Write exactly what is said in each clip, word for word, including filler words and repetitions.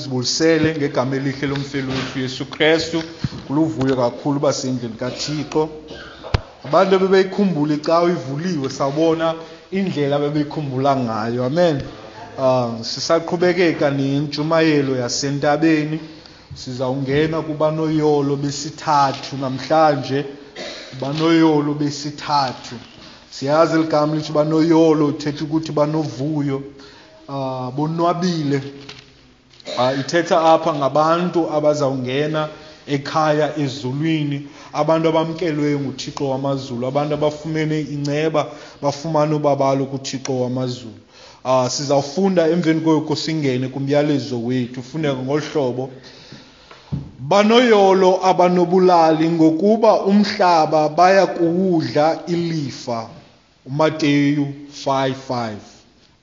Sibulisele ngegama elihle lomfeli wethu Yesu Kristu. Kuluvuyo kakhulu uba sendlini kaThixo. Abantu ebebeyikhumbula icawa ivuliwe, sawubona indlela abebeyikhumbula ngayo. Amen. Uh, sisaqhubekeka nentshumayelo yasentabeni. Sizawungena kubanoyolo besithathu namhlanje. Banoyolo besithathu. Siyazi ligama lithi banoyolo, ithetha ukuthi banovuyo, uh, bonwabile. Uh, ithetha apha ngabantu abazawungena ekhaya ezulwini, abantu abamkelweyo nguThixo wamazulu, abantu abafumene inceba, bafumana ubabalo kuThixo wamazulu. Uh, sizawufunda emveni koko singene kumyalezo wethu. Fundeka ngolu hlobo: banoyolo abanobulali, ngokuba umhlaba baya kuwudla ilifa. UMateyu five five.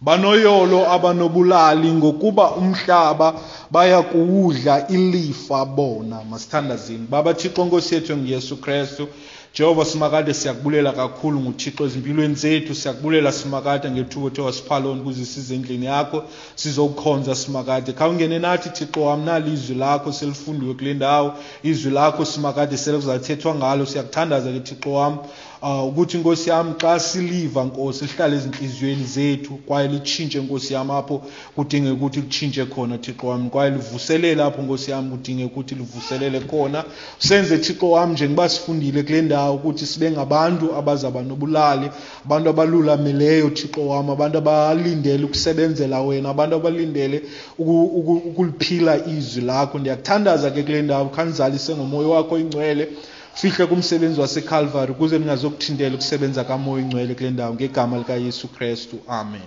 Banoyolo abanobulali, ngokuba umhlaba baya kuwudla ilifa bona. Masithandazeni. Baba Thixo, Nkosi yethu enguYesu Kristu, Jehova Simakade, siyakubulela kakhulu nguThixo ezimpilweni zethu. Siyakubulela Simakade ngethuba othe wasipha lona ukuze size endlini yakho sizokukhonza Simakade. Khawungene nathi Thixo wam, nali izwi lakho selifundiwe kule ndawo, izwi lakho Simakade selikuzathethwa ngalo. Siyakuthandaza ke Thixo wam, uh, ukuthi Nkosi yam xa siliva Nkosi lihlale ezintliziyweni zethu, kwaye litshintshe Nkosi yam apho kudingeka ukuthi litshintshe khona Thixo wam, kwaye livuselele apho Nkosi yam kudingeka ukuthi livuselele khona. Senze Thixo wam njengoba sifundile kule ndawo ukuthi sibe ngabantu abazaba nobulali, abantu abalulamileyo Thixo wam, abantu abalindele ukusebenzela wena, abantu abalindele ukuliphila izwi lakho. Ndiyakuthandaza ke kule ndawo, khanizalise ngomoya wakho ingcwele, fihle kumsebenzi waseCalvary ukuze ningazokuthintela ukusebenza kamoya ingcwele kule ndawo, ngegama likaYesu Kristu, amen.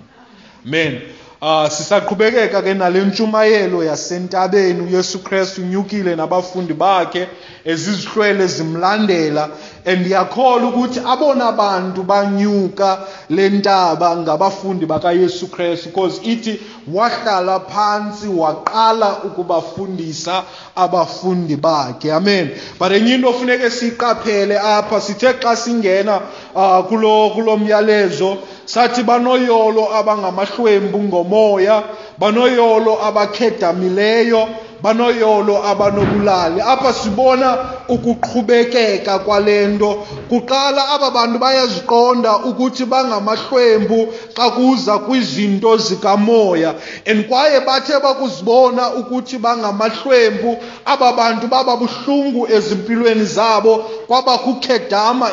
Amen. Uh, sisaqhubekeka ke nale ntshumayelo yasentabeni. uYesu Kristu unyukile nabafundi bakhe, ezizihlwele zimlandela, and ndiyakholwa ukuthi abona bantu banyuka le ntaba ngabafundi bakaYesu Kristu, because ithi wahlala phantsi waqala ukubafundisa abafundi bakhe. Amen. But enye into ofuneke siyiqaphele apha, sithe xa singena uh, kulo kulo myalezo sathi banoyolo abangamahlwempu ngomoya, banoyolo abakhedamileyo, banoyolo abanobulali. Apha sibona ukuqhubekeka kwale nto. Kuqala aba bantu bayaziqonda ukuthi bangamahlwempu xa kuza kwizinto zikamoya, and kwaye bathe bakuzibona ukuthi bangamahlwempu, aba bantu baba buhlungu ezimpilweni zabo, kwaba kukhedama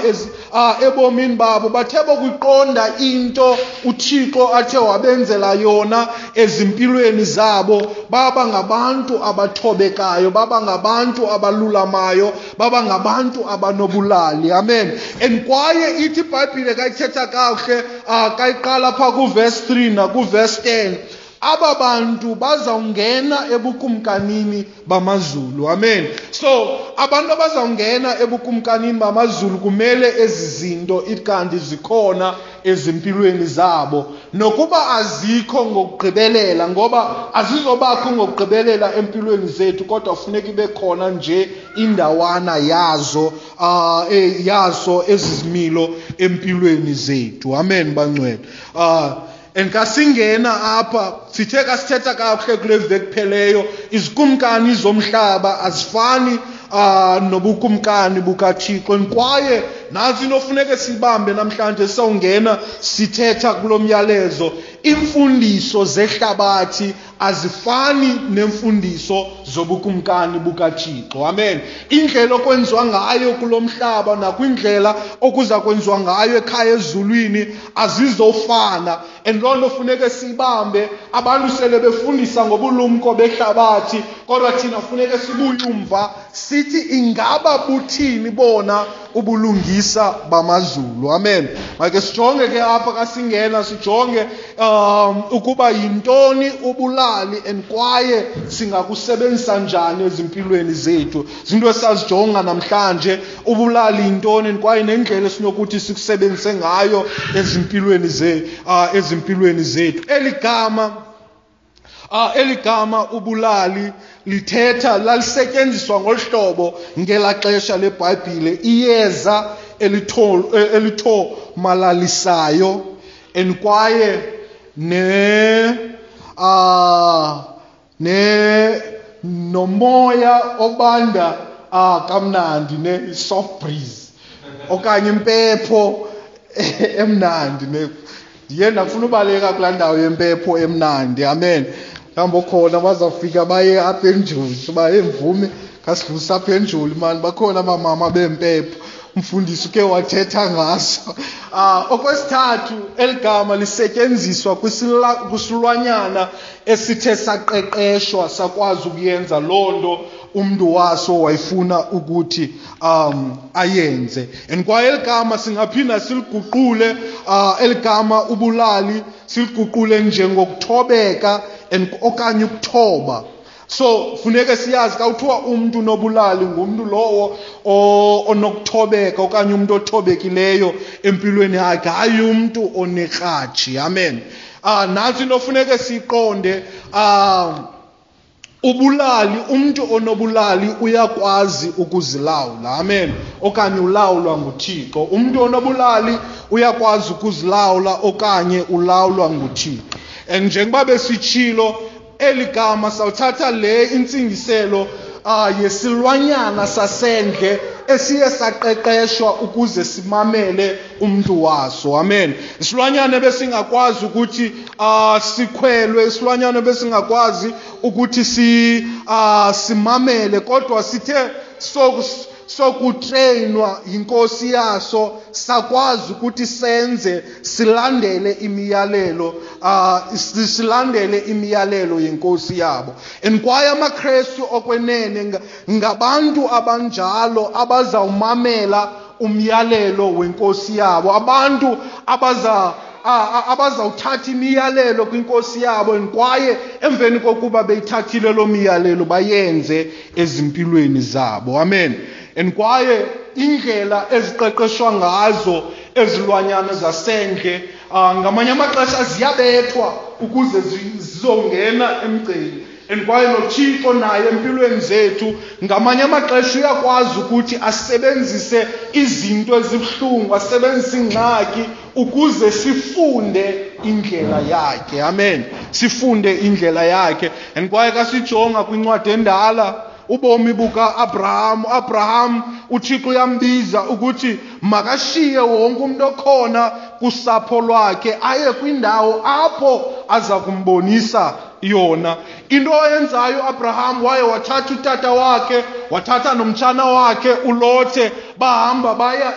ebomini babo. Bathe bakuyiqonda into uThixo athe wabenzela yona ezimpilweni zabo, baba ngabantu abathobekayo, baba ngabantu abalulamayo, baba ngabantu abanobulali. Amen. And kwaye ithi iBhayibhile kayithetha kakuhle, kayiqala pha kuverse three nakuverse ten, aba bantu bazawungena ebukumkanini bamazulu. Amen. So abantu abazawungena ebukumkanini bamazulu kumele ezi zinto ikanti zikhona ezimpilweni zabo, nokuba azikho ngokugqibelela, ngoba azizobakho ngokugqibelela empilweni zethu, kodwa funeka ibe khona nje indawana yazo, uh, yazo ezizimilo empilweni zethu. Amen bangcwele. Uh, And kasingena apha, sithe kasithetha kakuhle kule veki kupheleyo, izikumkani zomhlaba azifani uh, nobukumkani bukaThixo. Kwaye nantsi into ofuneke sibambe namhlanje sawungena sithetha kulo myalezo, imfundiso zehlabathi azifani nemfundiso zobukumkani bukaThixo. Amen. Indlela okwenziwa ngayo kulo mhlaba nakwindlela okuza kwenziwa ngayo ekhaya ezulwini azizofana. And loo nto funeke sibambe. Abantu sele befundisa ngobulumko behlabathi, kodwa thina funeke sibuye umva sithi ingaba buthini bona ubulungisa bamazulu. Amen. Make sijonge ke apha kasingena, sijonge um ukuba yintoni ubulali and kwaye singakusebenzisa njani ezimpilweni zethu. Zinto esazijonga namhlanje, ubulali yintoni kwaye nendlela esinokuthi sikusebenzise ngayo ezimpilweni zethu, uh, ezimpilweni zethu. Eli gama Ah, eli gama ubulali lithetha lalisetyenziswa ngolu hlobo ngelaa xesha leBhayibhile, iyeza elithomalalisayo and kwaye ne ah ne nomoya obanda ah kamnandi, ne soft breeze okanye impepho emnandi. Ne ndiye ndafuna ubaleka kulaa ndawo yempepho emnandi. Amen. Mhlawumbi okhona bazawufika baye apha eNjoli, baye mvume kasidlulisa apha eNjoli mani, bakhona abamama bempepho, umfundisi uke wathetha ngaso. Ah, okwesithathu, eli gama lisetyenziswa kwisilwanyana esithe saqeqeshwa sakwazi ukuyenza loo nto umntu waso wayefuna ukuthi um ayenze. And kwaye eli gama singaphinda siliguqule, uh, eli gama ubulali siliguqule njengokuthobeka and okanye ukuthoba. So funeke siyazi xa kuthiwa umntu unobulali ngumntu lowo onokuthobeka okanye umntu othobekileyo empilweni yakhe, hayi umntu onekratshi. Amen. Ah, nantsi into funeke siyiqonde. Ah, ubulali, umntu onobulali uyakwazi ukuzilawula. Amen. Okanye ulawulwa nguThixo. Umntu onobulali uyakwazi ukuzilawula okanye ulawulwa nguThixo. And njengoba besitshilo, eli gama sawuthatha le intsingiselo ah yesilwanyana sasendle esiye saqeqeshwa ukuze simamele umntu waso. Amen. Isilwanyana besingakwazi ukuthi ah sikhwelwe, isilwanyana besingakwazi ukuthi si ah simamele, kodwa sithe so sokutrainwa yinkosi yaso sakwazi ukuthi senze silandele imiyalelo, ah silandele imiyalelo yenkosi yabo. And kwaye amaKrestu okwenene ngabantu abanjalo abazawumamela umyalelo wenkosi yabo, abantu abaza abazawuthatha imiyalelo kwinkosi yabo, kwaye emveni kokuba beyithathile loo miyalelo bayenze ezimpilweni zabo. Amen. And kwaye indlela eziqeqeshwa ngazo ezilwanyana zasendle, ngamanye amaxesha ziyabethwa ukuze zizongena emgceni. And kwaye noThixo naye empilweni zethu ngamanye amaxesha uyakwazi ukuthi asebenzise izinto ezibuhlungu, asebenzise ingxaki ukuze sifunde indlela yakhe. Amen. Sifunde indlela yakhe. And kwaye kasijonga kwincwadi endala, ubomi buka-Abraham, Abraham uThixo uyambiza ukuthi makashiye wonke umuntu okhona kusapho lwakhe aye kwindawo apho aza kumbonisa yona. Into ayenzayo uAbraham, waye wathatha utata wakhe, wathatha nomtshana wakhe uLothe, bahamba baya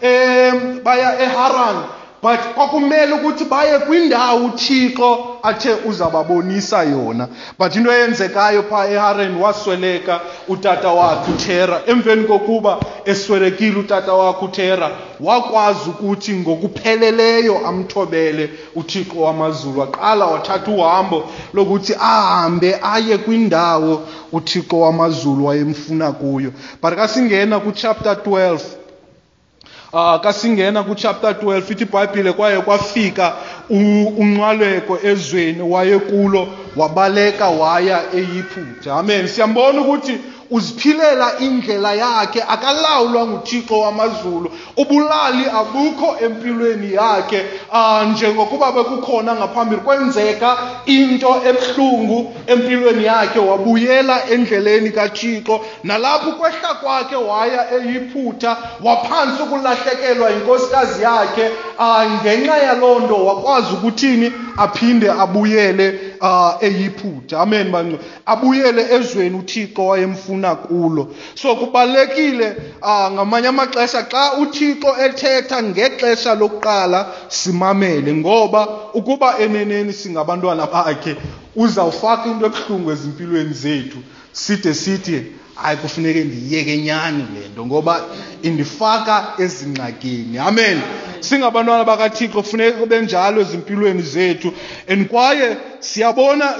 e, baya eHaran. But kwakumele ukuthi baye kwindawo uThixo athe uzababonisa yona. But into eyenzekayo pha eHaran, wasweleka utata wakhe uThera. Emveni kokuba eswelekile utata wakhe uThera, wakwazi ukuthi ngokupheleleyo amthobele uThixo wamazulu. Waqala wathatha uhambo lokuthi ahambe aye kwindawo uThixo wamazulu wayemfuna kuyo. But kasingena ku-chapter twelve, Ah, kasingena ku-chapter twelve, ithi iBhayibhile kwaye kwafika unqwaleko ezweni wayekulo, wabaleka waya eYiphutha. Amen. Siyambona ukuthi uziphilela indlela yakhe, akalawulwa nguThixo wamazulu. Ubulali abukho empilweni yakhe, ah njengokuba bekukhona ngaphambili. Kwenzeka into ebuhlungu empilweni yakhe, wabuyela endleleni kaThixo. Nalapho kwehla kwakhe waya eYiphutha, waphansi ukulahlekelwa inkosikazi yakhe. Ah ngenxa yaloo nto wakwazi ukuthini, aphinde abuyele ah eYiphutha. Amen bangcwele. Abuyele ezweni uThixo wayemfuna kulo. So kubalekile ah ngamanye amaxesha xa uThixo ethetha ngexesha lokuqala simamele, ngoba ukuba eneneni singabantwana bakhe uzawufaka into ebuhlungu ezimpilweni zethu, side sithi hayi kufuneke ndiyeke nyani le nto ngoba indifaka ezingxakini. Amen. Singabantwana bakaThixo kufuneka kube njalo ezimpilweni zethu. And kwaye siyabona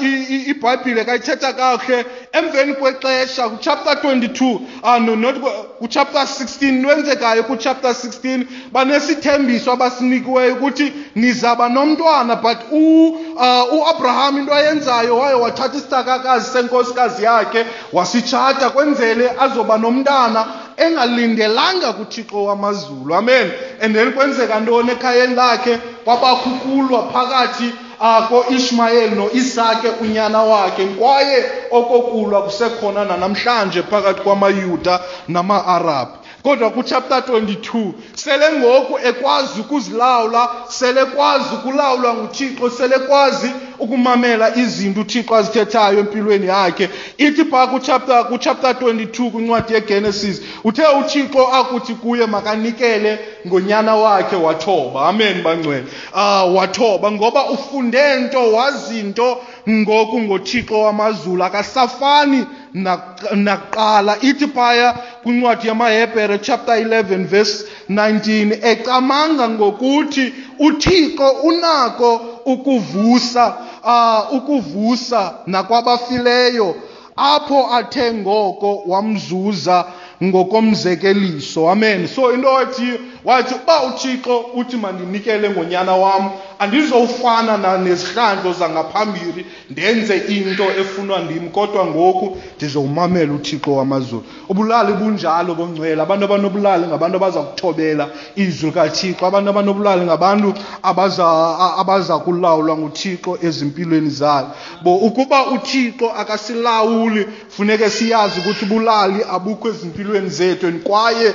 iBhayibhile kayithetha kakuhle emveni kwexesha ku-chapter twenty-two, ah no not ku-chapter sixteen, lwenzekayo ku-chapter sixteen, banesithembiso abasinikiweyo ukuthi nizaba nomntwana. But u-Abraham into ayenzayo, waye wathatha isithakakazi senkosikazi yakhe wasitshata kwenzele azoba nomntana engalindelanga kuThixo wamazulu. Amen. And then kwenzeka ntoni ekhayeni lakhe? Kwabakho ukulwa phakathi ko-Ishmayeli no-Isake unyana wakhe. Kwaye okokulwa kusekhona nanamhlanje phakathi kwamaYuda nama-Arabhu. Kodwa kuchapter twenty-two sele ngoku ekwazi ukuzilawula, sele kwazi ukulawulwa nguThixo, sele kwazi ukumamela izinto uThixo azithethayo empilweni yakhe. Ithi phaa kuchapter, kuchapter twenty-two kwincwadi yeGenesis, uthe uThixo akuthi kuye makanikele ngonyana wakhe, wathoba. Amen bangcwele. Ah, wathoba ngoba ufunde nto, wazi nto ngoku ngoThixo wamazulu, akasafani nakuqala. Ithi phaya kwincwadi yamaHebhere chapter eleven verse nineteen, ecamanga ngokuthi uThixo unako ukuvusa, uh, ukuvusa nakwabafileyo, apho athe ngoko wamzuza ngokomzekeliso. Amen. So into wathi wathi uba uThixo uthi mandinikele ngonyana wam, andizofana nezihlandlo zangaphambili ndenze into efunwa ndim, kodwa ngoku ndizowumamela uThixo wamazulu. Ubulali bunjalo bongcwele. Abantu abanobulali ngabantu abaza kuthobela izwi likaThixo. Abantu abanobulali ngabantu abaza abaza kulawulwa nguThixo ezimpilweni zabo. Bo ukuba uThixo akasilawuli, funeke siyazi ukuthi ubulali abukho ezimpilweni zethu, kwaye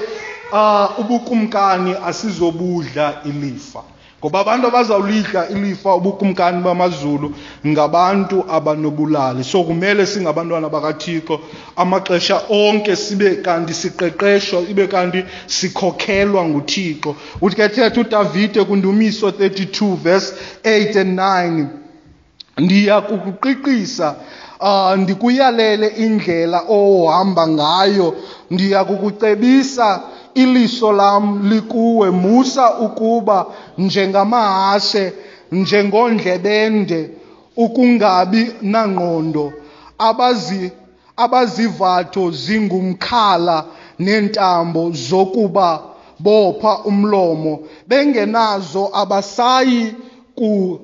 uh, ubukumkani asizobudla ilifa. Ngoba abantu abazawulidla ilifa ubukumkani bamazulu ngabantu abanobulali. So kumele singabantwana bakaThixo amaxesha onke sibe kanti siqeqeshwa, ibe kanti sikhokhelwa nguThixo. Uthi ke thetha uDavide kuNdumiso thirty-two verse eight and nine, ndiya kukuqiqisa, uh, ndikuyalele indlela ohamba ngayo, ndiya kukucebisa, iliso lam likuwe, musa ukuba njengamahashe, njengondlebende, ukungabi nangqondo, abazi abazivatho zingumkhala nentambo zokuba bopha umlomo, bengenazo abasayi ku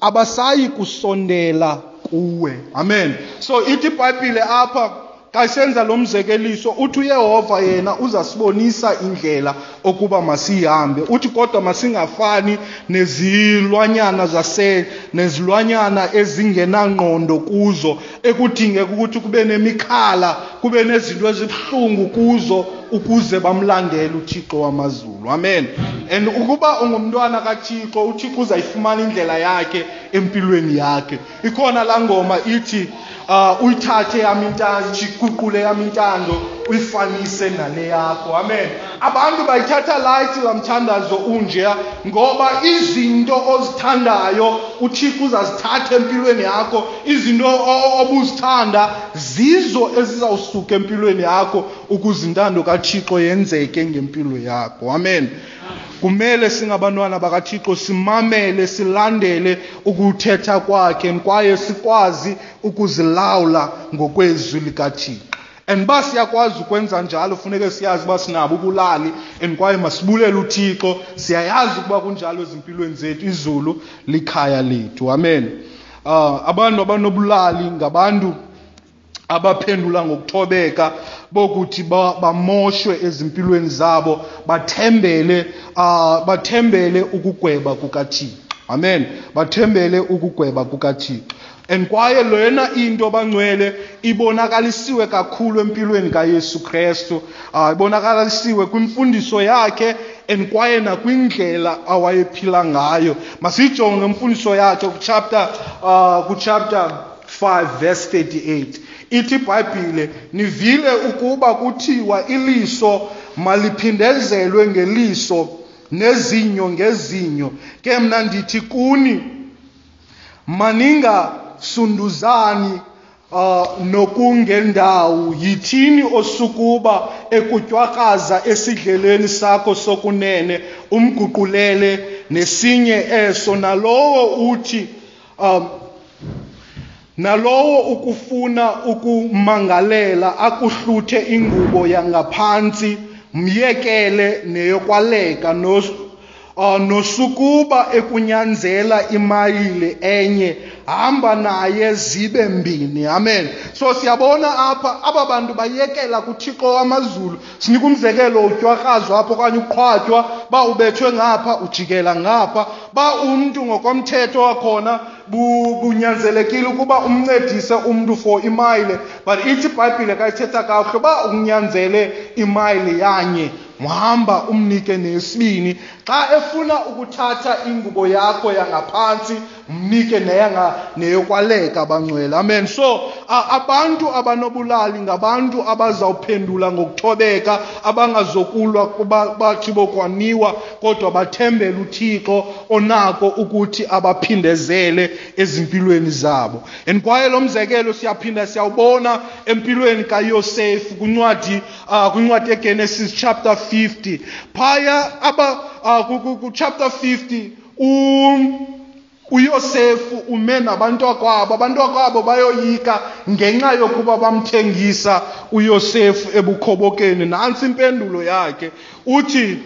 abasayi kusondela kuwe. Amen. So ithi iBhayibhile apha xa senza lo mzekeliso, uthi uYehova yena uzasibonisa indlela okuba masihambe. Uthi kodwa masingafani nezilwanyana zase nezilwanyana ezingenangqondo kuzo, ekudingeka ukuthi kube nemikhala, kube nezinto ezibuhlungu kuzo ukuze bamlandele uThixo wamazulu. Amen. And ukuba ungumntwana kaThixo, uThixo uzayifumana indlela yakhe empilweni yakhe. Ikhona laa ngoma ithi uh, uyithathe yam intando, iguqule yam intando, uyifanise nale yakho. Amen. Abantu bayithatha light laa mthandazo unjeya, ngoba izinto ozithandayo uThixo uzazithatha empilweni yakho. Izinto obuzithanda zizo ezizawusuka empilweni yakho ukuze intando kaThixo yenzeke ngempilo yakho. Amen. Kumele singabantwana bakaThixo simamele, silandele ukuthetha kwakhe, kwaye sikwazi ukuzilawula ngokwezwi likaThixo. And ba siyakwazi ukwenza njalo, funeke siyazi uba sinabo ubulali, and kwaye masibulele uThixo. Siyayazi ukuba kunjalo ezimpilweni zethu, izulu likhaya lethu. Amen. Uh, abantu abanobulali ngabantu abaphendula ngokuthobeka bokuthi bamoshwe ezimpilweni zabo, bathembele uh, bathembele ukugweba kukaThixo. Amen. Bathembele ukugweba kukaThixo. And kwaye lena into bangcwele ibonakalisiwe kakhulu empilweni kaYesu Kristu, uh, ibonakalisiwe kwimfundiso yakhe and kwaye nakwindlela awayephila ngayo. Masijonge imfundiso yakhe kuchapter uh, kuchapter five verse thirty-eight. Ithi iBhayibhile, nivile ukuba kuthiwa iliso maliphindezelwe ngeliso nezinyo ngezinyo. Ke mna ndithi kuni, maningasunduzani uh, nokungendawo. Yithini osukuba ekutywakraza esidleleni sakho sokunene, umguqulele nesinye eso. Nalowo uthi um, nalowo ukufuna ukumangalela akuhluthe ingubo yangaphantsi, myekele neyokwaleka. Uh, nosukuba ekunyanzela imayile enye, hamba naye zibe mbini. Amen. So siyabona apha aba bantu bayekela kuThixo wamazulu. Sinika umzekelo, utywakrazwa apho okanye uqhwatywa, ba ubethwe ngapha ujikela ngapha, ba umntu ngokomthetho wakhona bunyanzelekile ukuba umncedise umntu for imayile, but ithi iBhayibhile kayithetha kakuhle uba unyanzele imayile yanye, uhamba umnike nesibini. Xa efuna ukuthatha ingubo yakho yangaphantsi, mnike neyanga neyokwaleka, bangcwele. Amen. So abantu abanobulali ngabantu abazawuphendula ngokuthobeka, abangazokulwa kuba bathi bokwaniwa, kodwa bathembele uThixo onako ukuthi abaphindezele ezimpilweni zabo. And kwaye lo mzekelo siyaphinda siyawubona empilweni kaYosefu kwincwadi uh, kwincwadi yeGenesis chapter fifty. Phaya aba uh, ku chapter fifty um uYosefu ume nabantwakwabo, abantwakwabo bayoyika ngenxa yokuba bamthengisa uYosefu ebukhobokeni. Nantsi impendulo yakhe, uthi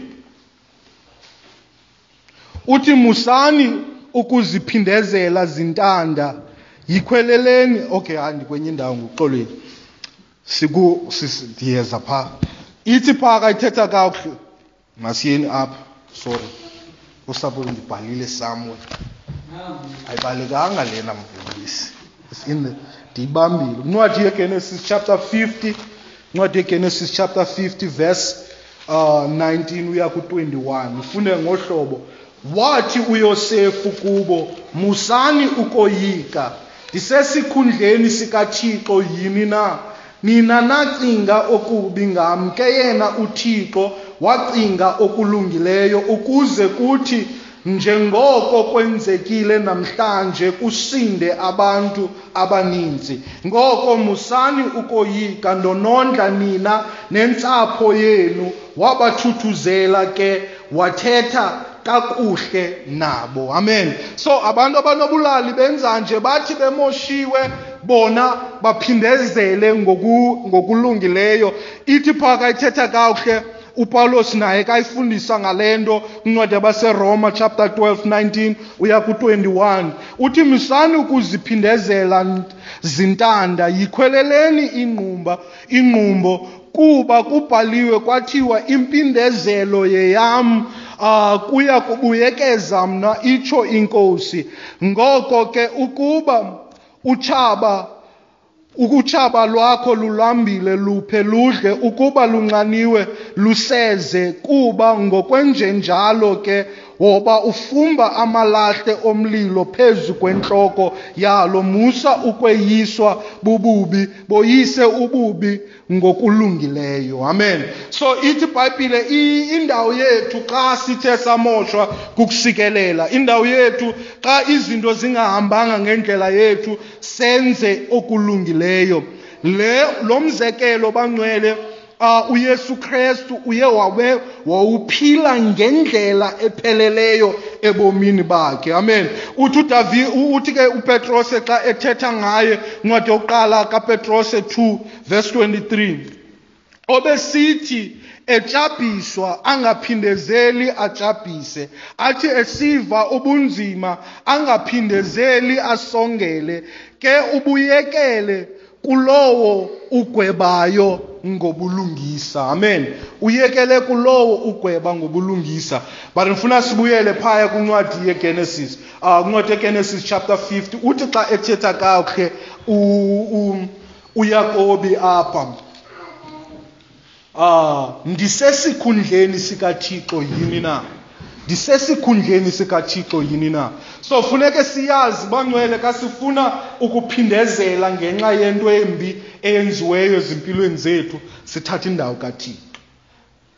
uthi musani ukuziphindezela zintanda, yikhweleleni. Okay, hayi ndikwenye indawo, nguxolweni, siku ndiyeza phaa. Ithi phaa kayithetha kakuhle, masiyeni apha, sorry, usapho ndibhalile somewhere. Ayibalekanga lena mfundisi. It's in the ndiyibambile. Incwadi yeGenesis chapter fifty, incwadi yeGenesis chapter fifty verse uh, nineteen uya ku twenty-one. Ufunde ngohlobo. Wathi uYosefu kubo, musani ukoyika, ndisesikhundleni sikaThixo yini na? Nina nacinga okubi ngam, ke yena uThixo wacinga okulungileyo, ukuze kuthi njengoko kwenzekile namhlanje kusinde abantu abaninzi. Ngoko musani ukoyika, ndonondla nina nentsapho yenu. Wabathuthuzela ke, wathetha kakuhle nabo. Amen. So abantu abanobulali benza nje, bathi bemoshiwe bona baphindezele ngoku ngokulungileyo. Ithi phaka ithetha kakuhle uPaulos naye kayifundisa ngalento kwincwadi yabaseRoma chapter twelve nineteen uya ku twenty-one. Uthi musani ukuziphindezela zintanda, yikhweleleni ingqumba ingqumbo, kuba kubhaliwe kwathiwa impindezelo yeyam, uh, kuya kubuyekeza mna, itsho inkosi. Ngoko ke ukuba utshaba ukutshaba lwakho lulambile, luphe ludle, ukuba lunxaniwe luseze, kuba ngokwenjenjalo ke woba ufumba amalahle omlilo phezu kwentloko yalo. Musa ukweyiswa bububi, boyise ububi ngokulungileyo. Amen. So ithi iBhayibhile, indawo yethu xa sithe samoshwa kukusikelela, indawo yethu xa izinto zingahambanga ngendlela yethu, senze okulungileyo. Le lo mzekelo bangcwele, Uh, uYesu Kristu uye wabe wawuphila ngendlela epheleleyo ebomini bakhe. Amen. Uthi uDavid, uthi ke uPetrose xa ethetha ngaye, incwadi yokuqala kaPetrose two verse twenty-three, obesithi etshabhiswa angaphindezeli atshabhise, athi esiva ubunzima angaphindezeli asongele, ke ubuyekele kulowo ugwebayo ngobulungisa. Amen. Uyekele kulowo ugweba ngobulungisa. But ngifuna sibuyele phaya kwincwadi yeGenesis. Ah, kwincwadi yeGenesis chapter fifty, uthi xa ethetha kakuhle uYakobi apha, ah, ndisesikhundleni sikaThixo yini na? Ndisesikhundleni sikaThixo yini na? So funeke siyazi bangcwele, ka sifuna ukuphindezela ngenxa yento embi eyenziweyo ezimpilweni zethu, sithatha indawo kaThixo.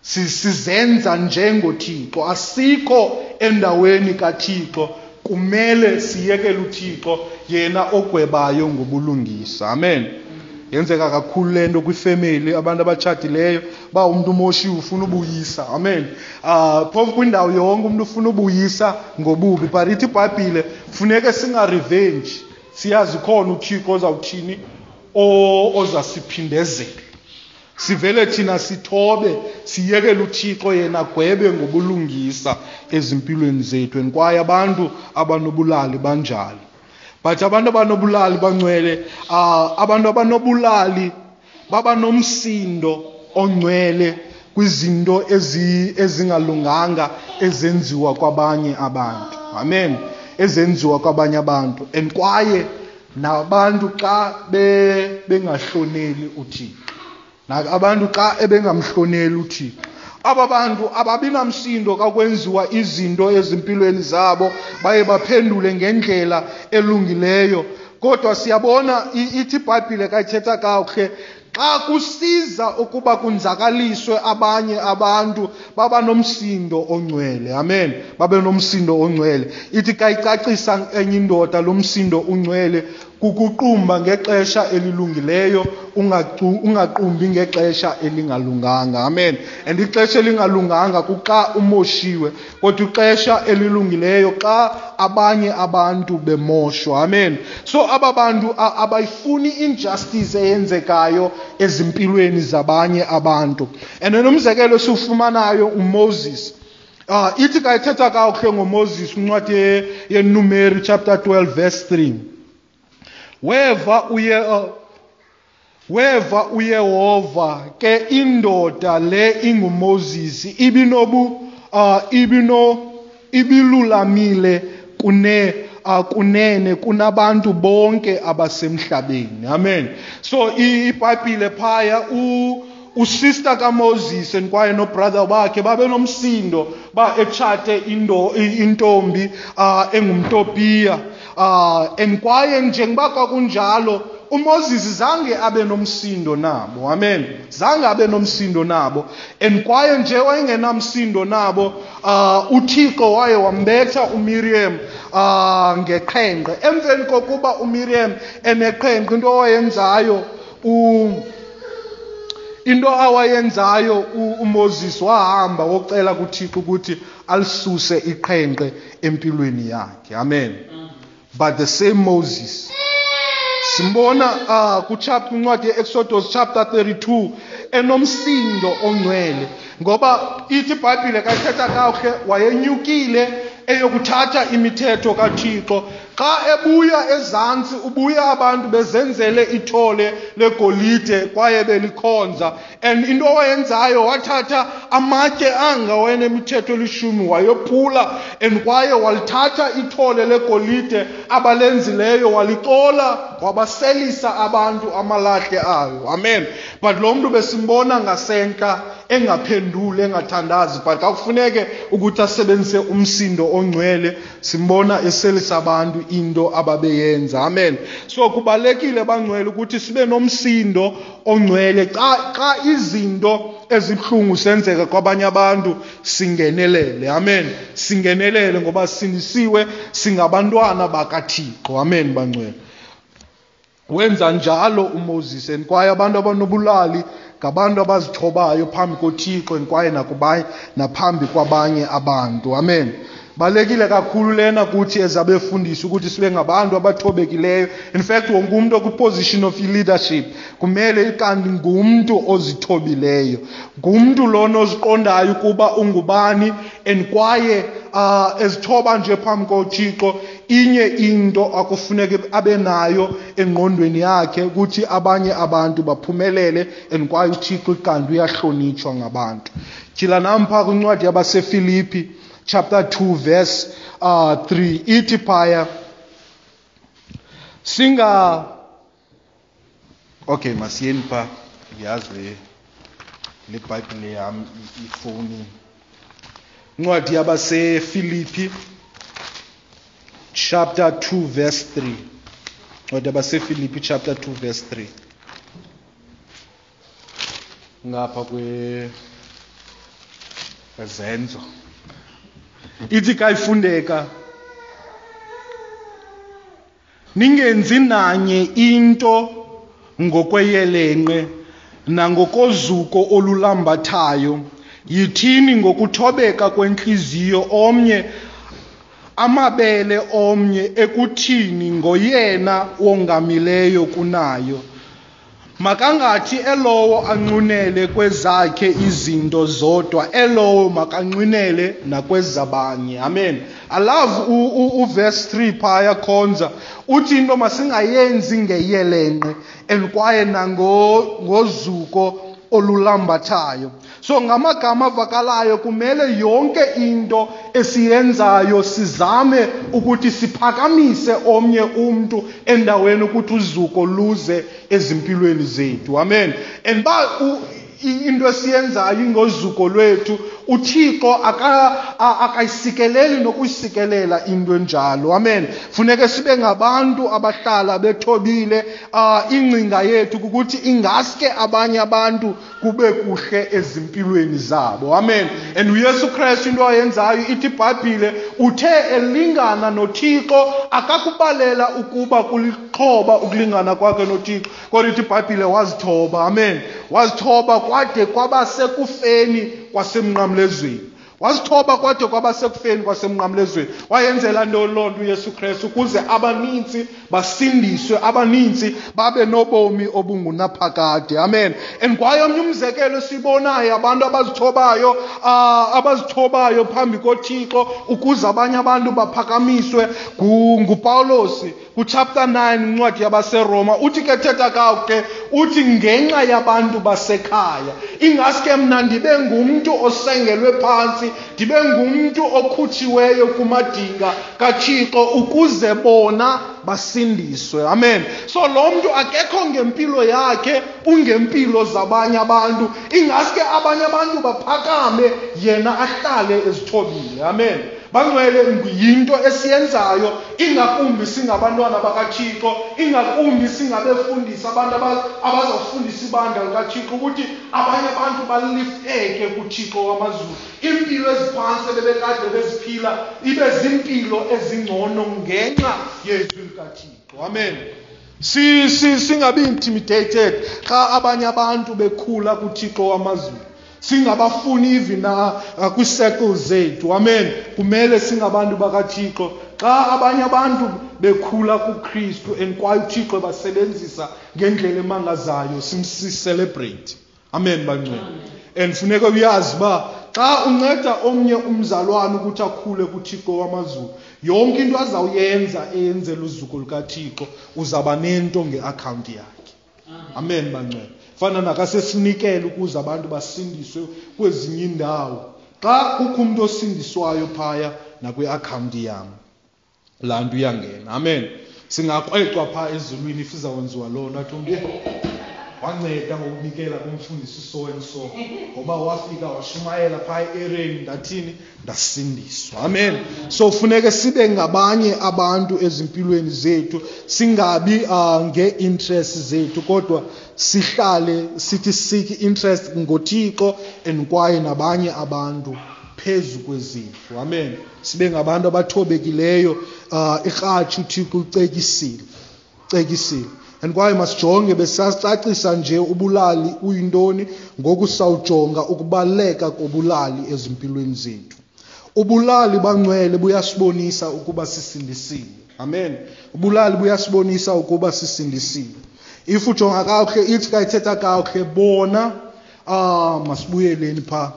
Sizenza njengoThixo, asikho endaweni kaThixo. Kumele siyekele uThixo yena ogwebayo ngobulungisa. Amen. Yenzeka kakhulu le nto kwifemeli, abantu abatshatileyo, ba umuntu umoshiwe ufuna ubuyisa. Amen. Ah, phofu kwindawo yonke umuntu ufuna ubuyisa ngobubi, but ithi iBhayibhile funeke singa revenge. Siyazi khona uThixo ozawuthini, ozasiphindezela. Sivele thina sithobe, siyekele uThixo yena agwebe ngobulungisa ezimpilweni zethu. And kwaye abantu abanobulali banjalo. But abantu abanobulali bangcwele, uh, abantu abanobulali baba nomsindo ongcwele kwizinto ezi ezingalunganga ezenziwa kwabanye abantu. Amen. Ezenziwa kwabanye abantu. And kwaye nabantu xa be bengahloneli uThixo. Na abantu xa ebengamhloneli uThixo. Aba bantu ababinamsindo xa kwenziwa izinto ezimpilweni zabo, baye baphendule ngendlela elungileyo. Kodwa siyabona ithi iBhayibhile kayithetha kakuhle, xa kusiza ukuba kunzakaliswe abanye abantu baba nomsindo ongcwele. Amen. Babe nomsindo ongcwele. Ithi kayicacisa enye indoda lo msindo ungcwele kukuqumba ngexesha elilungileyo, ungaqumbi ngexesha elingalunganga. Amen. And ixesha elingalunganga kuxa umoshiwe, kodwa ixesha elilungileyo xa abanye abantu bemoshwa. Amen. So aba bantu abayifuni injustice eyenzekayo ezimpilweni zabanye abantu. And nomzekelo esiwufumanayo uMoses. Ah, ithi kayithetha kakuhle ngoMoses incwadi yeNumeri chapter twelve verse three. Weva uye uh, weva uYehova ke indoda le inguMoses ibinobu uh, ibino ibilulamile kune uh, kunene kunabantu bonke abasemhlabeni. Amen. So iBhayibhile phaya u usister kaMoses and kwaye no brother wakhe babe nomsindo ba etshate indo intombi uh, engumTopiya. Uh, and kwaye njengoba kwakunjalo uMoses zange abe nomsindo nabo. Amen. Zange abe nomsindo nabo. And kwaye nje wayengenamsindo nabo, uh, uThixo waye wambetha uMiriam uh, ngeqhenqe. Emveni kokuba uMiriam eneqhenqe, into awayenzayo u into awayenzayo uMoses wahamba wocela kuThixo ukuthi alisuse iqhenqe empilweni yakhe. Amen. But the same Moses simbona uh, kuchapter incwadi yeExodus chapter thirty-two enomsindo ongcwele, ngoba ithi iBhayibhile kayithetha kakuhle wayenyukile eyokuthatha imithetho kaThixo. Xa ebuya ezantsi ubuya abantu bezenzele ithole legolide kwaye belikhonza. And into awayenzayo wathatha amatye anga wayenemithetho elishumi wayophula, and kwaye walithatha ithole legolide abalenzileyo walicola wabaselisa abantu amalahle ayo. Amen. But lo mntu besimbona ngasentla engaphenduli engathandazi, but kakufuneke ukuthi asebenzise umsindo ongcwele, simbona eselisa abantu into ababeyenza. Amen. So kubalekile bangcwele ukuthi sibe nomsindo ongcwele xa xa izinto ezibuhlungu senzeka kwabanye abantu singenelele. Amen. Singenelele ngoba sindisiwe, singabantwana bakaThixo. Amen bangcwele. Wenza njalo uMoses, and kwaye abantu abanobulali ngabantu abazithobayo phambi koThixo and kwaye nakubanye naphambi kwabanye abantu. Amen. Balekile kakhulu lena kuthi ezabefundisi ukuthi sibe ngabantu abathobekileyo. In fact, wonke umuntu okwi-position of leadership kumele kanti ngumntu ozithobileyo, ngumntu lona oziqondayo ukuba ungubani, and kwaye uh, ezithoba nje phambi koThixo. Inye into akufuneke abe nayo engqondweni yakhe ukuthi abanye abantu baphumelele, and kwaye uThixo kanti uyahlonitshwa ngabantu. Tyhila nampha kwincwadi yabaseFilipi chapter two verse uh, three ithi phaya singa okay masiyeni pha ngiyazi le le Bible yami ifoni. Incwadi yabaseFilipi chapter two verse three. Incwadi yabaseFilipi chapter two verse three. Ngapha kwe Zenzo ithi kayifundeka, ningenzi nanye into ngokweyelenqe nangokozuko olulambathayo, yithini ngokuthobeka kwenhliziyo omnye amabele omnye ekuthini ngoyena wongamileyo kunayo. Makangathi elowo anqunele kwezakhe izinto zodwa, elowo makanqunele nakwezabanye. Amen. I love uverse three phaya khonza. Uthi into masingayenzi ngeyelenqe and kwaye nangozuko olulambathayo. So ngamagama avakalayo kumele yonke into esiyenzayo sizame ukuthi siphakamise omnye umntu endaweni ukuthi uzuko luze ezimpilweni zethu. Amen. And ba into esiyenzayo ingozuko lwethu, uThixo akayisikeleli nokuyisikelela into enjalo. Amen. Funeke sibe ngabantu abahlala bethobile. Ingcinga yethu kukuthi ingaske abanye abantu kube kuhle ezimpilweni zabo. Amen. And uYesu Kristu into ayenzayo ithi iBhayibhile uthe elingana noThixo akakubalela ukuba kulixhoba ukulingana kwakhe noThixo, kodwa ithi iBhayibhile wazithoba. Amen. Wazithoba kwade kwaba sekufeni kwasemnqamlezweni. Wazithoba kwade kwaba sekufeni kwasemnqamlezweni. Wayenzela ntoni loo nto uYesu Kristu? Ukuze abanintsi basindiswe, abanintsi babe nobomi obungunaphakade. Amen. And kwaye omnye umzekelo esibonayo abantu abazithobayo, uh, abazithobayo phambi koThixo ukuze abanye abantu baphakamiswe nguPawulos kuchapter nine incwadi yabaseRoma. Uthi ke thetha kakuhle, uthi ngenxa yabantu basekhaya, ingaske mna ndibe ngumntu osengelwe phantsi, ndibe ngumntu okhutshiweyo kumadinga kaThixo ukuze bona basindiswe. Amen. So lo mntu akekho ngempilo yakhe, ungempilo zabanye abantu. Ingaske abanye abantu baphakame, yena ahlale ezithobile. Amen. Bangcwele, yinto esiyenzayo, ingakumbi singabantwana bakaThixo, ingakumbi singabefundisi, abantu abazawufundisa ibandla likaThixo, ukuthi abanye abantu balifteke kuThixo wamazulu. Impilo eziphantsi ebebekade beziphila ibe zimpilo ezingcono ngenxa yezwi likaThixo. Amen. Si si singabi intimidated xa abanye abantu bekhula kuThixo wamazulu. Singabafuni even kwi-circles zethu. Amen. Kumele singabantu bakaThixo xa abanye abantu bekhula kuKristu and kwaye uThixo basebenzisa ngendlela emangazayo, simcelebrate. Amen bangcwele. And funeka uyazi uba xa unceda omnye umzalwane ukuthi akhule kuThixo wamazulu, yonke into azawuyenza eyenzela uzuko lukaThixo, uzaba nento ngeakhawunti yakhe. Amen bangcwele. Fana nakasesinikele ukuze abantu basindiswe kwezinye indawo. Xa kukho umuntu osindiswayo phaya nakwi-akhawunti yam, laa nto iyangena. Amen. Singakrwecwa phaa ezulwini if izawwenziwa loo nto, athi umntu wanceda ngokunikela kumfundisi so and so, ngoba wafika washumayela phaa e-ereni, ndathini, ndasindiswa. Amen. So funeke sibe ngabanye abantu ezimpilweni zethu, singabi uh, ngee-interest zethu, kodwa sihlale sithi seek interest ngoThixo and kwaye nabanye abantu phezu kwezethu. Amen. Sibe ngabantu abathobekileyo. uh, ikratshi uThixo ucekisile, ucekisile. And kwaye masijonge, besacacisa nje ubulali uyintoni, ngoku sawujonga ukubaluleka kobulali ezimpilweni zethu. Ubulali bangcwele buyasibonisa ukuba sisindisiwe. Amen. Ubulali buyasibonisa ukuba sisindisiwe. If ujonga kakuhle, ithi xa ithetha kakuhle, bona, ah, masibuyeleni pha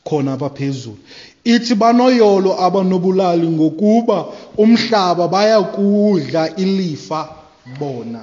khona apha phezulu. Ithi banoyolo abanobulali ngokuba umhlaba bayakudla ilifa bona.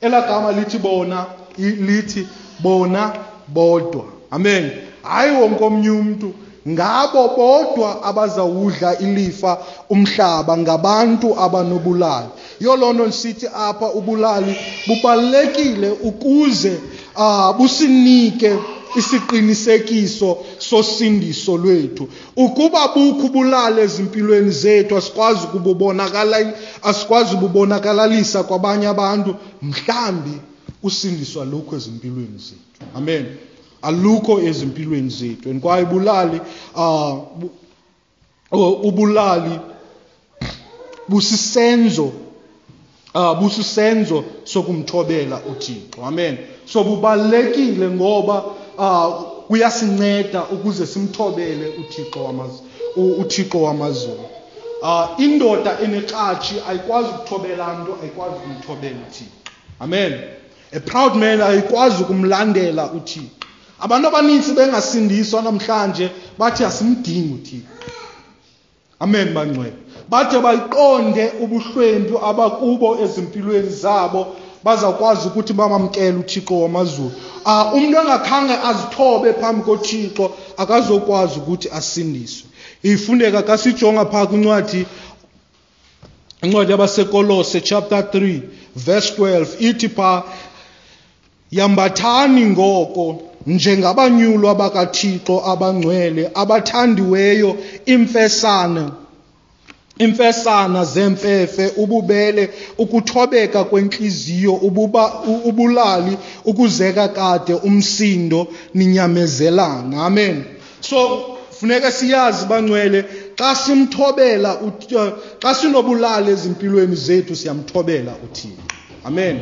Elaa gama lithi bona, lithi bona bodwa. Amen. Hayi wonke omnye umntu, ngabo bodwa abazawudla ilifa umhlaba, ngabantu abanobulali. Yiyo loo nto ndisithi apha ubulali bubalulekile ukuze uh, businike isiqinisekiso sosindiso lwethu. Ukuba bukho ubulali ezimpilweni zethu, asikwazi ukububonakala, asikwazi ukubonakalalisa kwabanye abantu, mhlambi usindiswa alukho ezimpilweni zethu. Amen. Alukho ezimpilweni zethu. And kwaye ubulali, uh, ubulali busisenzo, uh, busisenzo sokumthobela uThixo. Amen. So bubalulekile ngoba uh, kuyasinceda ukuze simthobele uThixo wamazulu, uThixo wamazulu. Uh, indoda enekratshi ayikwazi ukuthobela nto, ayikwazi ukumthobela uThixo. Amen. A proud man ayikwazi ukumlandela uThixo. Abantu abaninzi bengasindiswa namhlanje bathi asimdingi uThixo. Amen bangcwele. Bathe bayiqonde ubuhlwempu abakubo ezimpilweni zabo, bazakwazi ukuthi bamamkele uThixo wamazulu. Ah, umuntu engakhange azithobe phambi koThixo akazokwazi ukuthi asindiswe. Ifundeka kasijonga pha kwincwadi incwadi yabaseKolose chapter three verse twelve, ithi pha, yambathani ngoko njengabanyulwa bakaThixo abangcwele abathandiweyo imfesana imfesana zemfefe, ububele, ukuthobeka kwenhliziyo, ububa, ubulali, ukuzeka kade umsindo, ninyamezelana. Amen. So funeka siyazi bangcwele, xa simthobela, xa sinobulali ezimpilweni zethu siyamthobela uThixo. Amen.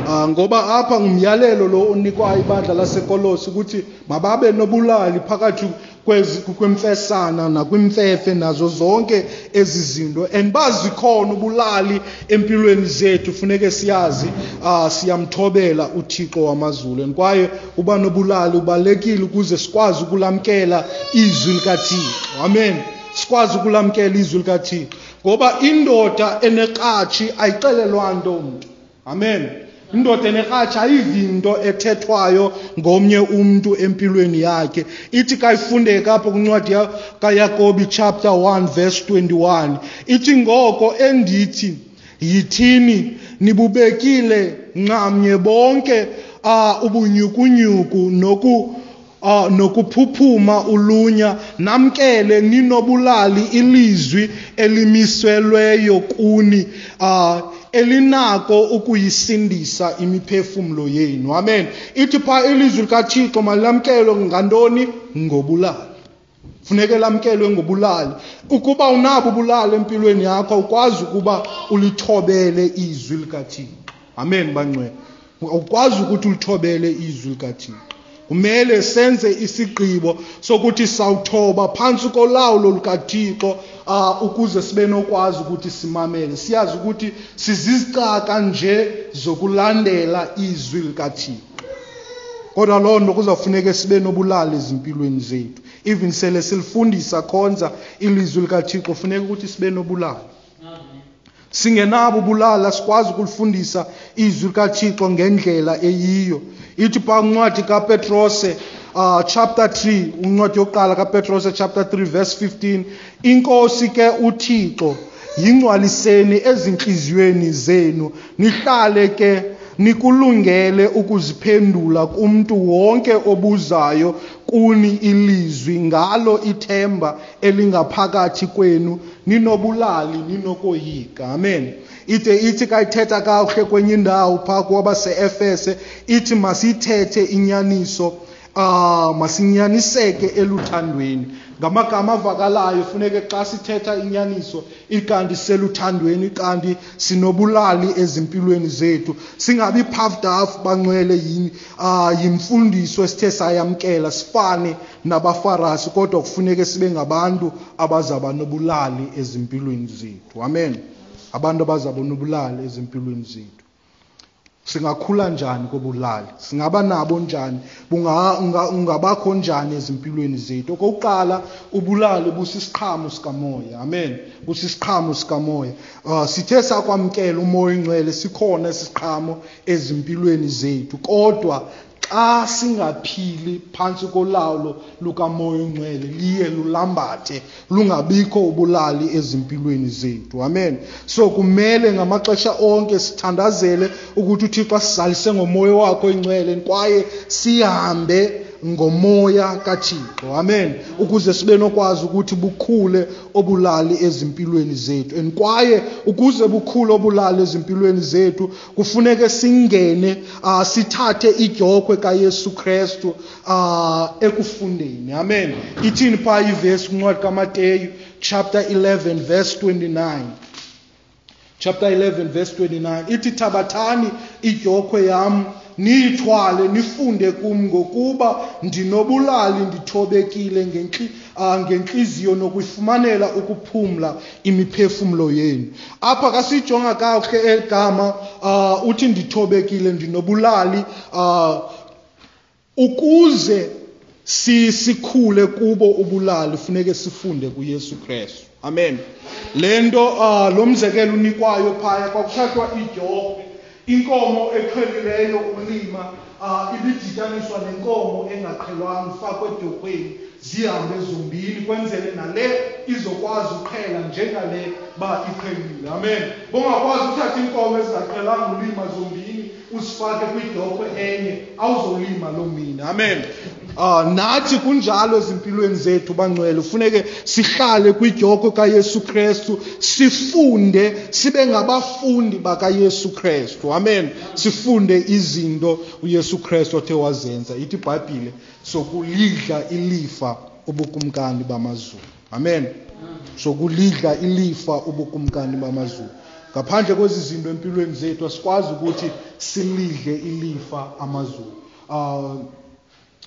Uh, ngoba apha ngumyalelo lo onikwa ibandla laseKolose ukuthi mababe nobulali phakathi kwemfesana nakwimfefe nazo zonke ezi zinto, and bazikhona ubulali empilweni zethu. Funeke siyazi uh, siyamthobela uThixo wamazulu, and kwaye uba nobulali ubalekile ukuze sikwazi ukulamkela izwi likaThixo. Amen. Sikwazi ukulamkela izwi likaThixo, ngoba indoda enekratshi ayixelelwa nto umntu. Amen. Indoda enekratshi ayivi into ethethwayo ngomnye umntu empilweni yakhe. Ithi kayifundeka apho kwincwadi kaYakobi chapter one verse twenty-one, ithi ngoko endithi yithini nibubekile nxamnye bonke uh, ubunyukunyuku noku Uh, nokuphuphuma ulunya, namkele ninobulali ilizwi elimiselweyo kuni, uh, elinako ukuyisindisa imiphefumlo yenu. Amen. Ithi pha ilizwi likaThixo malamkelwe ngantoni? Ngobulali. Funeke lamkelwe ngobulali. Ukuba unabo ubulali empilweni yakho, ukwazi ukuba ulithobele izwi likaThixo. Amen bangcwele. Ukwazi ukuthi ulithobele izwi likaThixo. Kumele senze isigqibo sokuthi sawuthoba phantsi kolawulo lukaThixo, uh, ukuze sibe nokwazi ukuthi simamele. Siyazi ukuthi sizizicaka nje zokulandela izwi likaThixo. Kodwa loo nto kuzawufuneka sibe nobulali ezimpilweni zethu. Even sele silifundisa khonza ilizwi likaThixo, funeka ukuthi sibe nobulali. Singenabo ubulali asikwazi ukulifundisa izwi likaThixo ngendlela eyiyo. Ithi pha incwadi kaPetrose uh, chapter three, incwadi yokuqala kaPetrose chapter three verse fifteen, inkosi ke uThixo yingcwaliseni ezinhliziyweni zenu, nihlale ke nikulungele ukuziphendula kumntu wonke obuzayo kuni ilizwi ngalo ithemba elingaphakathi kwenu, ninobulali ninokoyika. Amen. Ite ithi kayithetha kakuhle kwenye indawo phaa kwabase-Efese, ithi masithethe inyaniso, uh, masinyaniseke eluthandweni. Ngamagama avakalayo funeke xa sithetha inyaniso ikanti seluthandweni, kanti sinobulali ezimpilweni zethu. Singabi puffed up bangcwele uh, yimfundiso esithe sayamkela, sifane nabaFarasi, kodwa kufuneke sibe ngabantu abazaba nobulali ezimpilweni zethu. Amen. Abantu abazaba nobulali ezimpilweni zethu. Singakhula njani kobulali? Singaba nabo njani? Ungabakho njani ezimpilweni zethu? Okokuqala, ubulali busisiqhamo sikamoya. Amen. Busisiqhamo sikamoya. Uh, sithe sakwamkela umoya oyingcwele, sikhona isiqhamo ezimpilweni zethu. Kodwa xa singaphili phantsi kolawulo lukamoya oyingcwele, liye lulambathe, lungabikho ubulali ezimpilweni zethu. Amen. So kumele ngamaxesha onke sithandazele ukuthi uThixo asizalise ngomoya wakhe oyingcwele, kwaye sihambe ngomoya kaThixo. Amen. Ukuze sibe nokwazi ukuthi bukhule obulali ezimpilweni zethu. And kwaye ukuze bukhule obulali ezimpilweni zethu, kufuneke singene, uh, sithathe idyokhwe kaYesu Kristu uh, ekufundeni. Amen. Ithini pha ivesi kwincwadi kaMateyu chapter eleven verse twenty-nine. Chapter eleven verse twenty-nine. Ithi thabathani idyokhwe yam niyithwale, nifunde kum, ngokuba ndinobulali, ndithobekile ngentli-, ah, ngentliziyo, nokuyifumanela ukuphumla imiphefumlo yenu. Apha kasijonga kakuhle eli gama, ah, uthi ndithobekile, ndinobulali, ah, ukuze si-, sikhule kubo ubulali funeke sifunde kuYesu Kristu. Amen. Le nto, ah, lo mzekelo unikwayo phaya, kwakuthathwa idyokhwe, inkomo eqhelileyo ulima, ah, ibidityaniswa nenkomo engaqhelwanga, ifakwe edyokhweni, zihambe zombini, kwenzele nale izokwazi uqhela njengale ba iqhelile. Amen. Bongakwazi uthatha iinkomo ezingaqhelanga ulima zombini uzifake kwidyokhwe enye, awuzolima loo mini. Amen. Ah, nathi kunjalo ezimpilweni zethu bangcwele, funeke sihlale kwidyokhwe kaYesu Kristu, sifunde, sibe ngabafundi bakaYesu Kristu. Amen. Sifunde izinto uYesu Kristu othe wazenza. Ithi iBhayibhile, sokulidla ilifa ubukumkani bamazulu. Amen. Sokulidla ilifa ubukumkani bamazulu. Ngaphandle kwezi zinto empilweni zethu asikwazi ukuthi silidle ilifa amazulu. Ah,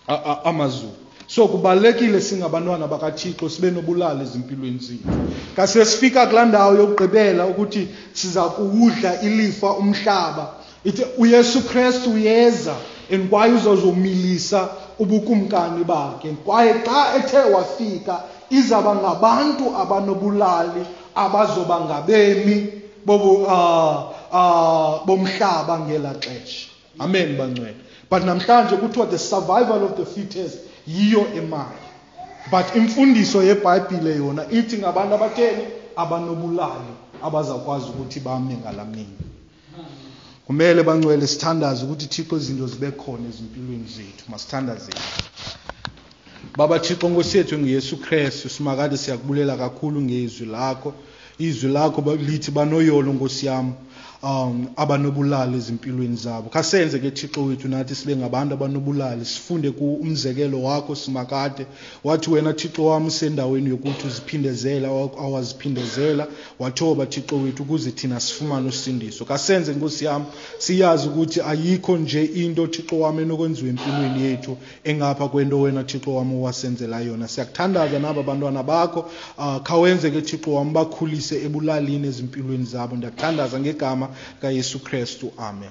a-, a-, amazulu. So kubalulekile singabantwana bakaThixo sibe nobulali ezimpilweni zethu. Kase sifika kulaa ndawo yokugqibela ukuthi siza kuwudla ilifa umhlaba. Ithi uYesu Kristu uyeza and kwaye uzozomilisa ubukumkani bakhe. Kwaye xa ethe wafika izaba ngabantu abanobulali abazoba ngabemi bobu, ah, ah, bomhlaba ngela xesha. Amen bangcwele. But namhlanje kuthiwa the survival of the fittest yiyo emayo. But imfundiso yeBhayibhile yona ithi ngabantu abatheni abanobulali abazakwazi ukuthi bame ngalamini. Kumele bangcwele sithandaze ukuthi Thixo izinto zibe khona ezimpilweni zethu. Masithandazeni. Baba Thixo Nkosi yethu ngeYesu Kristu, simakade siyakubulela kakhulu ngezwi lakho. Izwi lakho lithi banoyolo Nkosi yam, um, abanobulali ezimpilweni zabo. Khasenze ke Thixo wethu nathi sibe ngabantu abanobulali, sifunde ku umzekelo wakho simakade. Wathi wena Thixo wam usendaweni yokuthi uziphindezela awaziphindezela, wathoba Thixo wethu ukuze thina sifumane usindiso. Khasenze Nkosi yam siyazi ukuthi ayikho nje into Thixo wam enokwenziwa empilweni yethu engapha kwento wena Thixo wam owasenzela yona. Siyakuthandaza naba bantwana bakho, ah, khawenze ke Thixo wam bakhulise ebulalini ezimpilweni zabo. Ndiyakuthandaza ngegama kaYesu Kristu. Amen.